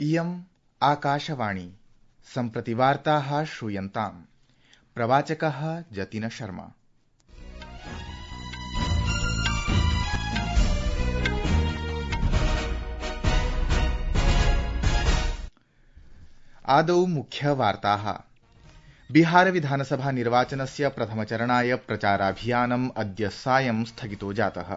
इयम् आकाशवाणी सम्प्रति वार्ताः श्रूयन्ताम्। प्रवाचकः जतिन शर्मा। आदौ मुख्यवार्ताः। बिहार विधानसभा निर्वाचनस्य प्रथमचरणाय प्रचाराभियानम् अद्य सायं स्थगितो जातः।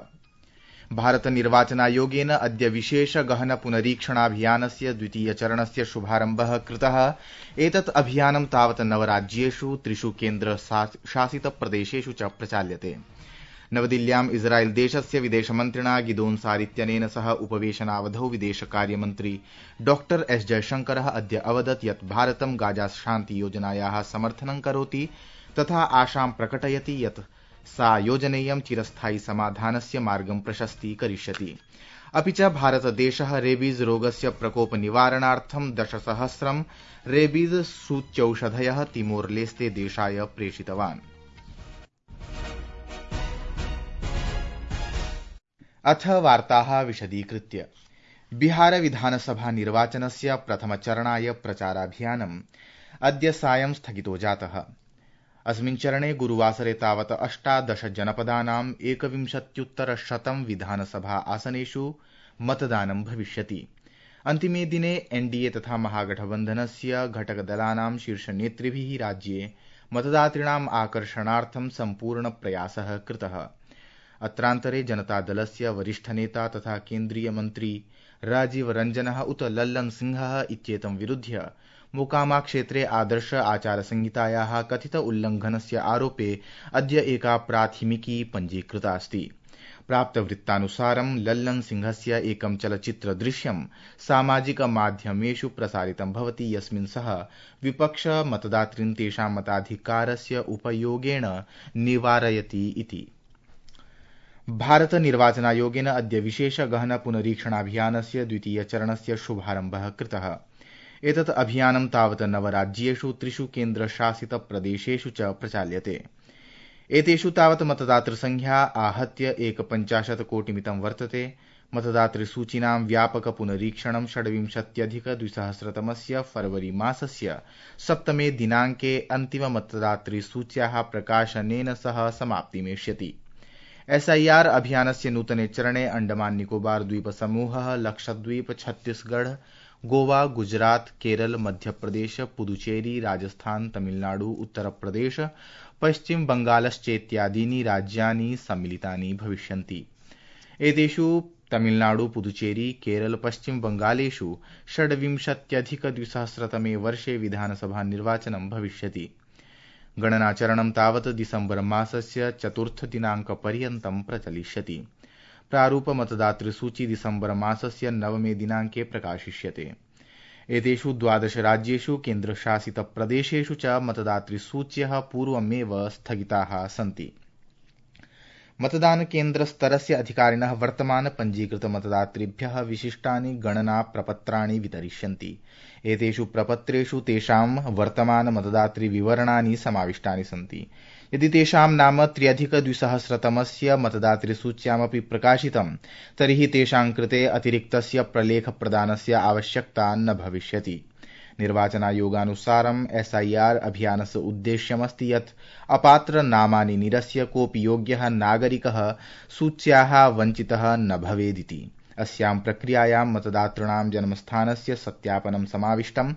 भारत निर्वाचनायोगेन अद्य विशेष गहन पुनरीक्षणाभियानस्य द्वितीयचरणस्य शुभारम्भः कृतः। एतत् अभियानं तावत् 9 राज्येषु 3 केन्द्रशासित प्रदेशेषु च प्रचाल्यते। नवदिल्ल्याम् इस्राएल देशस्य विदेशमन्त्रिणा गिदोन सार इत्यनेन सह उपवेशनावधौ विदेशकार्यमन्त्री डॉ एस जयशंकरः अद्य अवदत् यत् भारतं गाजा शान्ति योजनायाः समर्थनं करोति तथा आशां प्रकटयति यत् सा योजनेयं चिरस्थायि समाधानस्य मार्गं प्रशस्तीकरिष्यति। अपि च भारतदेशः रेबीज रोगस्य प्रकोप निवारणार्थं 10,000 रेबीज सूच्यौषधयः तिमोर लेस्ते देशाय प्रेषितवान्। अथ वार्ताः विशदीकृत्य। बिहार विधानसभा निर्वाचनस्य प्रथमचरणाय प्रचाराभियानम् अद्य सायं स्थगितो जातः। अस्मिन् चरणे गुरुवासरे तावत् 18 जनपदानां 21,100 विधानसभा आसनेषु मतदानं भविष्यति। अन्तिमे दिने एनडीए तथा महागठबन्धनस्य घटकदलानां शीर्षनेतृभिः राज्ये मतदातॄणाम् आकर्षणार्थं सम्पूर्ण प्रयासः कृतः। अत्रान्तरे जनतादलस्य वरिष्ठनेता तथा केन्द्रीय मन्त्री राजीव रंजनः उत लल्लन सिंहः इत्येतं विरुध्य मोकामा क्षेत्रे आदर्श आचार संहितायाः कथित उल्लंघनस्य आरोपे अद्य एका प्राथमिकी पञ्जीकृता अस्ति। प्राप्तवृत्तानुसारं लल्लन सिंहस्य एकं चलच्चित्रदृश्यं सामाजिक माध्यमेषु प्रसारितं भवति यस्मिन् सः विपक्ष मतदातॄन् तेषां मताधिकारस्य उपयोगेन निवारयति इति। भारत निर्वाचनायोगेन अद्य विशेष गहन पुनरीक्षणाभियानस्य द्वितीयचरणस्य शुभारम्भः कृतः। एतत् अभियानं तावत् 9 राज्येषु 3 केन्द्रशासित प्रदेशेषु च प्रचाल्यते। एतेषु तावत् मतदातृसंख्या आहत्य 51 कोटिमितं वर्तते। मतदातृसूचीनां व्यापक पुनरीक्षणं 26,200 फरवरी मासस्य 7 दिनाङ्के अन्तिम मतदातृसूच्याः प्रकाशनेन सह समाप्तिमेष्यति। SIR अभियानस्य नूतने चरणे अंडमान निकोबार द्वीप समूहः, लक्षद्वीप, छत्तीसगढ़, गोवा, गुजरात, केरल, मध्यप्रदेश, पुदुचेरी, राजस्थान, तमिलनाडु, उत्तरप्रदेश, पश्चिम बंगालश्चेत्यादीनि राज्यानि सम्मिलितानि भविष्यन्ति। एतेषु तमिलनाडु, पुदुचेरी, केरल, पश्चिम बंगालेषु 26,200 वर्षे विधानसभा निर्वाचनं भविष्यति। गणनाचरणं तावत् दिसम्बर मासस्य 4 दिनाङ्कपर्यन्तं प्रचलिष्यति। प्रारूप मतदातृसूची दिसम्बर मासस्य 9 दिनाङ्के प्रकाशिष्यते। एतेषु 12 राज्येषु केन्द्रशासित प्रदेशेषु च मतदातृसूच्यः पूर्वमेव स्थगिताः सन्ति। मतदान केन्द्र स्तरस्य अधिकारिणः वर्तमान पञ्जीकृत मतदातृभ्यः विशिष्टानि गणना प्रपत्राणि वितरिष्यन्ति। एतेषु प्रपत्रेषु तेषां वर्तमान मतदातृविवरणानि समाविष्टानि सन्ति। यदि तेषां नाम 3,200 मतदातृसूच्यामपि प्रकाशितं तर्हि तेषां कृते अतिरिक्तस्य प्रलेखप्रदानस्य आवश्यकता न भविष्यति। निर्वाचनायोगानुसारं SIR अभियानस्य उद्देश्यमस्ति यत् अपात्र नामानि निरस्य कोऽपि योग्यः नागरिकः सूच्याः वञ्चितः न भवेदिति। अस्यां प्रक्रियायां मतदातॄणां जन्मस्थानस्य सत्यापनं समाविष्टं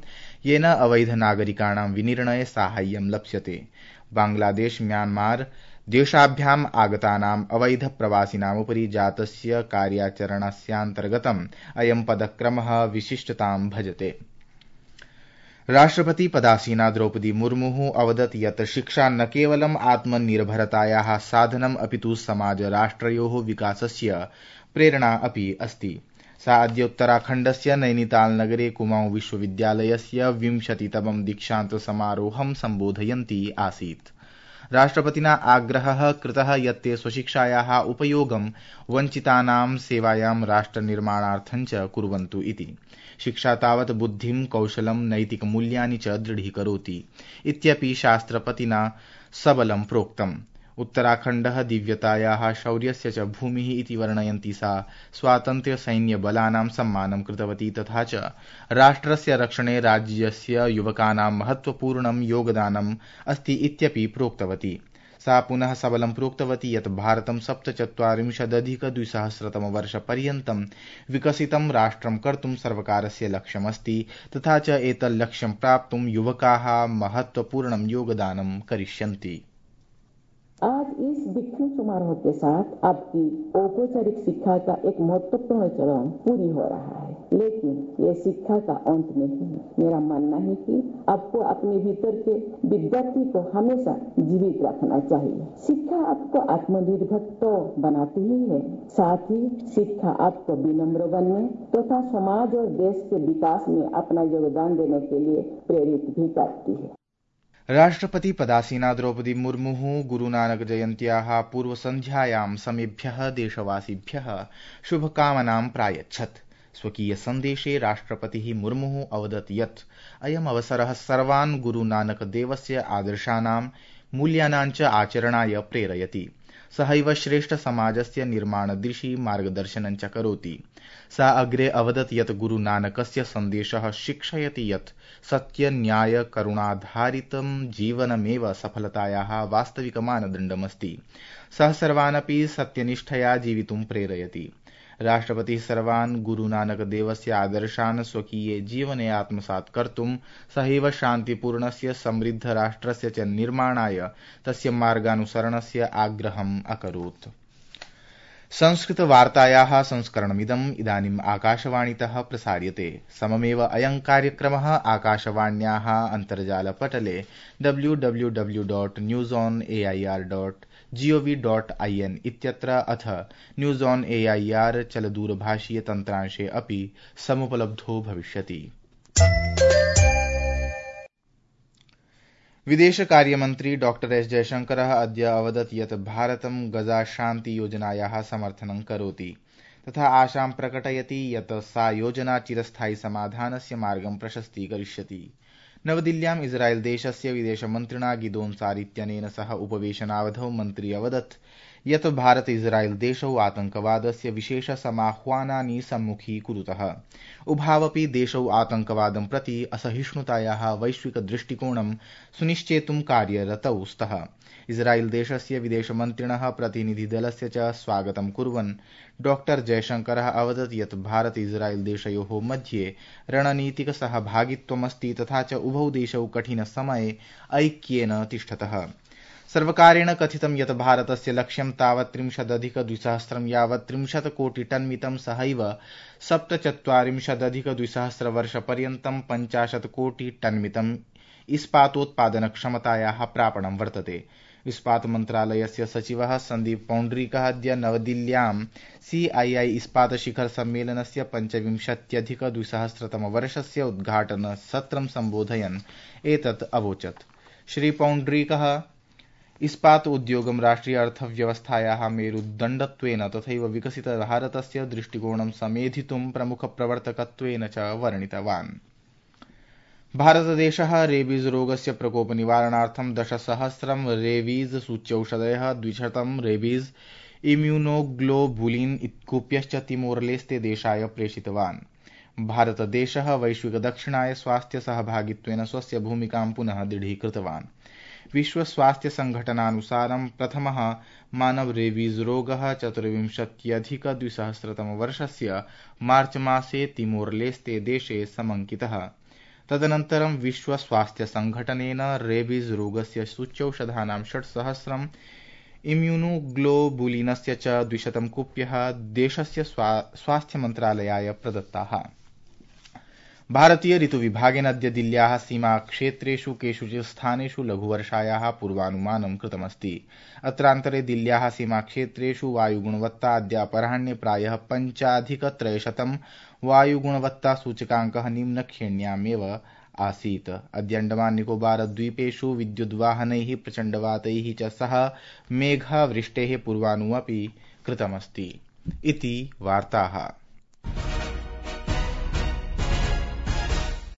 येन अवैध नागरिकाणां विनिर्णये साहाय्यं लप्स्यते। बांग्लादेश, म्यांमार देशाभ्याम् आगतानाम् अवैध प्रवासिनामुपरि जातस्य कार्याचरणस्यान्तर्गतम् अयं पदक्रमः विशिष्टतां भजते। राष्ट्रपति पदासीना द्रौपदी मुर्मुः अवदत् यत् शिक्षा न केवलम् आत्मनिर्भरतायाः साधनम् अपितु समाजराष्ट्रयोः विकासस्य प्रेरणा अपि अस्ति। सा अद्य उत्तराखण्डस्य नैनीताल नगरे कुमाऊं विश्वविद्यालयस्य 20तमं दीक्षान्त समारोहं सम्बोधयन्ती आसीत्। राष्ट्रपतिना आग्रहः कृतः यत् ते स्वशिक्षायाः उपयोगं वञ्चितानां सेवायां राष्ट्रनिर्माणार्थं च कुर्वन्तु इति। शिक्षा तावत् बुद्धिं, कौशलं, नैतिकमूल्यानि च दृढीकरोति इत्यपि शास्त्रपतिना सबलं प्रोक्तम्। उत्तराखण्डः दिव्यतायाः शौर्यस्य च भूमिः इति वर्णयन्ती सा स्वातन्त्र्यसैन्यबलानां सम्मानं कृतवती तथा च राष्ट्रस्य रक्षणे राज्यस्य युवकानां महत्वपूर्णं योगदानम् अस्ति इत्यपि प्रोक्तवती। सा पुनः सबलं प्रोक्तवती यत् भारतं 47,200 विकसितं राष्ट्रं कर्तुं सर्वकारस्य लक्ष्यमस्ति तथा च एतल्लक्ष्यं प्राप्तुं युवकाः महत्वपूर्णं योगदानं करिष्यन्ति। आज इस दीक्षांत समारोह के साथ आपकी औपचारिक शिक्षा का एक महत्वपूर्ण चरण पूरी हो रहा है, लेकिन ये शिक्षा का अंत नहीं है। मेरा मानना है कि आपको अपने भीतर के विद्यार्थी को हमेशा जीवित रखना चाहिए। शिक्षा आपको आत्मनिर्भर तो बनाती ही है, साथ ही शिक्षा आपको विनम्र बनने तथा समाज और देश के विकास में अपना योगदान देने के लिए प्रेरित भी करती है। राष्ट्रपति पदासीना द्रौपदी मुर्मुः गुरुनानक जयन्त्याः पूर्वसन्ध्यायां समेभ्यः देशवासिभ्यः शुभकामनां प्रायच्छत्। स्वकीय सन्देशे राष्ट्रपतिः मुर्मुः अवदत् यत् अयम् अवसरः सर्वान् गुरुनानकदेवस्य आदर्शानां मूल्यानां च आचरणाय प्रेरयति। सहैव श्रेष्ठसमाजस्य निर्माणदिशि मार्गदर्शनं च करोति। सा अग्रे अवदत् यत् गुरुनानकस्य सन्देशः शिक्षयति यत् सत्यन्यायकरुणाधारितं जीवनमेव सफलतायाः वास्तविकमानदण्डमस्ति। सः सर्वानपि सत्यनिष्ठया जीवितुं प्रेरयति। राष्ट्रपतिः सर्वान् गुरुनानकदेवस्य आदर्शान् स्वकीये जीवने आत्मसात् कर्तुं सहैव शान्तिपूर्णस्य समृद्धराष्ट्रस्य च निर्माणाय तस्य मार्गानुसरणस्य आग्रहम् अकरोत्। संस्कृतवार्तायाः संस्करणमिदम् इदानीम् आकाशवाणीतः प्रसार्यते। सममेव अयं कार्यक्रमः आकाशवाण्याः अन्तर्जालपटले www.newsonair.gov.in इत्यत्र अथ न्यूज़ ऑन एआईआर चलदूरभाषीय तन्त्रांशे अपि समुपलब्धो भविष्यति। विदेशकार्यमन्त्री डॉक्टर एस जयशंकरः अद्य अवदत् यत् भारतं गजाशान्तियोजनायाः समर्थनं करोति तथा आशां प्रकटयति यत् सा योजना चिरस्थायि समाधानस्य मार्गं प्रशस्तीकरिष्यति। नवदिल्ल्याम् इस्राएल देशस्य विदेशमन्त्रिणा गिदोन सार इत्यनेन सह उपवेशनावधौ मन्त्री अवदत् यत् भारत इस्राएल देशौ आतंकवादस्य विशेष समाह्वानानि सम्मुखीकुरुतः। उभावपि देशौ आतंकवादं प्रति असहिष्णुतायाः वैश्विक दृष्टिकोणं सुनिश्चेतुं कार्यरतौ स्तः। इस्राएल देशस्य विदेशमन्त्रिणः प्रतिनिधिदलस्य च स्वागतं कुर्वन् डॉक्टर जयशंकरः अवदत् यत् भारत इस्राएल देशयोः मध्ये रणनीतिक सहभागित्वमस्ति तथा च उभौ देशौ कठिनसमये ऐक्येन तिष्ठतः। सर्वकारेण कथितं यत् भारतस्य लक्ष्यं तावत् 30,200 यावत् 30 कोटिटन्मितं सहैव 47,200 वर्षपर्यन्तं 50 कोटिटन्मितम् इस्पातोत्पादनक्षमतायाः प्रापणं वर्तते। इस्पात मन्त्रालयस्य सचिवः सन्दीप पौण्ड्रीकः अद्य नवदिल्ल्यां CII इस्पात शिखर सम्मेलनस्य 25,200 वर्षस्य उद्घाटनसत्रं सम्बोधयन् एतत् अवोचत्। श्री पौण्ड्रीकः इस्पात उद्योगं राष्ट्रिय अर्थव्यवस्थायाः मेरुदण्डत्वेन तथैव विकसित भारतस्य दृष्टिकोणं समेधितुं प्रमुखप्रवर्तकत्वेन च वर्णितवान्। भारतदेशः रेबीज रोगस्य प्रकोपनिवारणार्थं 10,000 रेबीज सूच्यौषधयः 200 रेबीज इम्यूनोग्लोबुलिन इत्कूप्यश्च तिमोरलेस्ते देशाय प्रेषितवान्। भारतदेशः वैश्विक दक्षिणाय स्वास्थ्य सहभागित्वेन स्वस्य भूमिकां पुनः दृढीकृतवान्। विश्व स्वास्थ्य संघटनानुसारं प्रथमः मानव रेबीज रोगः 24,200 वर्षस्य मार्च मासे तिमोरलेस्ते देशे समङ्कितः। तदनन्तरं विश्व स्वास्थ्य संघटनेन रेबीज रोगस्य सूच्यौषधानां 6,000 इम्यूनोग्लोबुलिनस्य च 200 कूप्यः देशस्य स्वास्थ्य मन्त्रालयाय प्रदत्ताः। भारतीय ऋतुविभागेन अद्य दिल्ल्याः सीमाक्षेत्रेषु केषुचित् स्थानेषु लघुवर्षायाः पूर्वानुमानं कृतमस्ति। अत्रान्तरे दिल्ल्याः सीमाक्षेत्रेषु वायुगुणवत्ता अद्य अपराह्णे प्रायः 5,300 वायुगुणवत्तासूचकाङ्कः निम्नश्रेण्यामेव आसीत्। अद्य अण्डमान निकोबार द्वीपेषु विद्युद्वाहनैः प्रचण्डवातैः च सह मेघवृष्टेः पूर्वानुमपि कृतमस्ति। इति वार्ताः।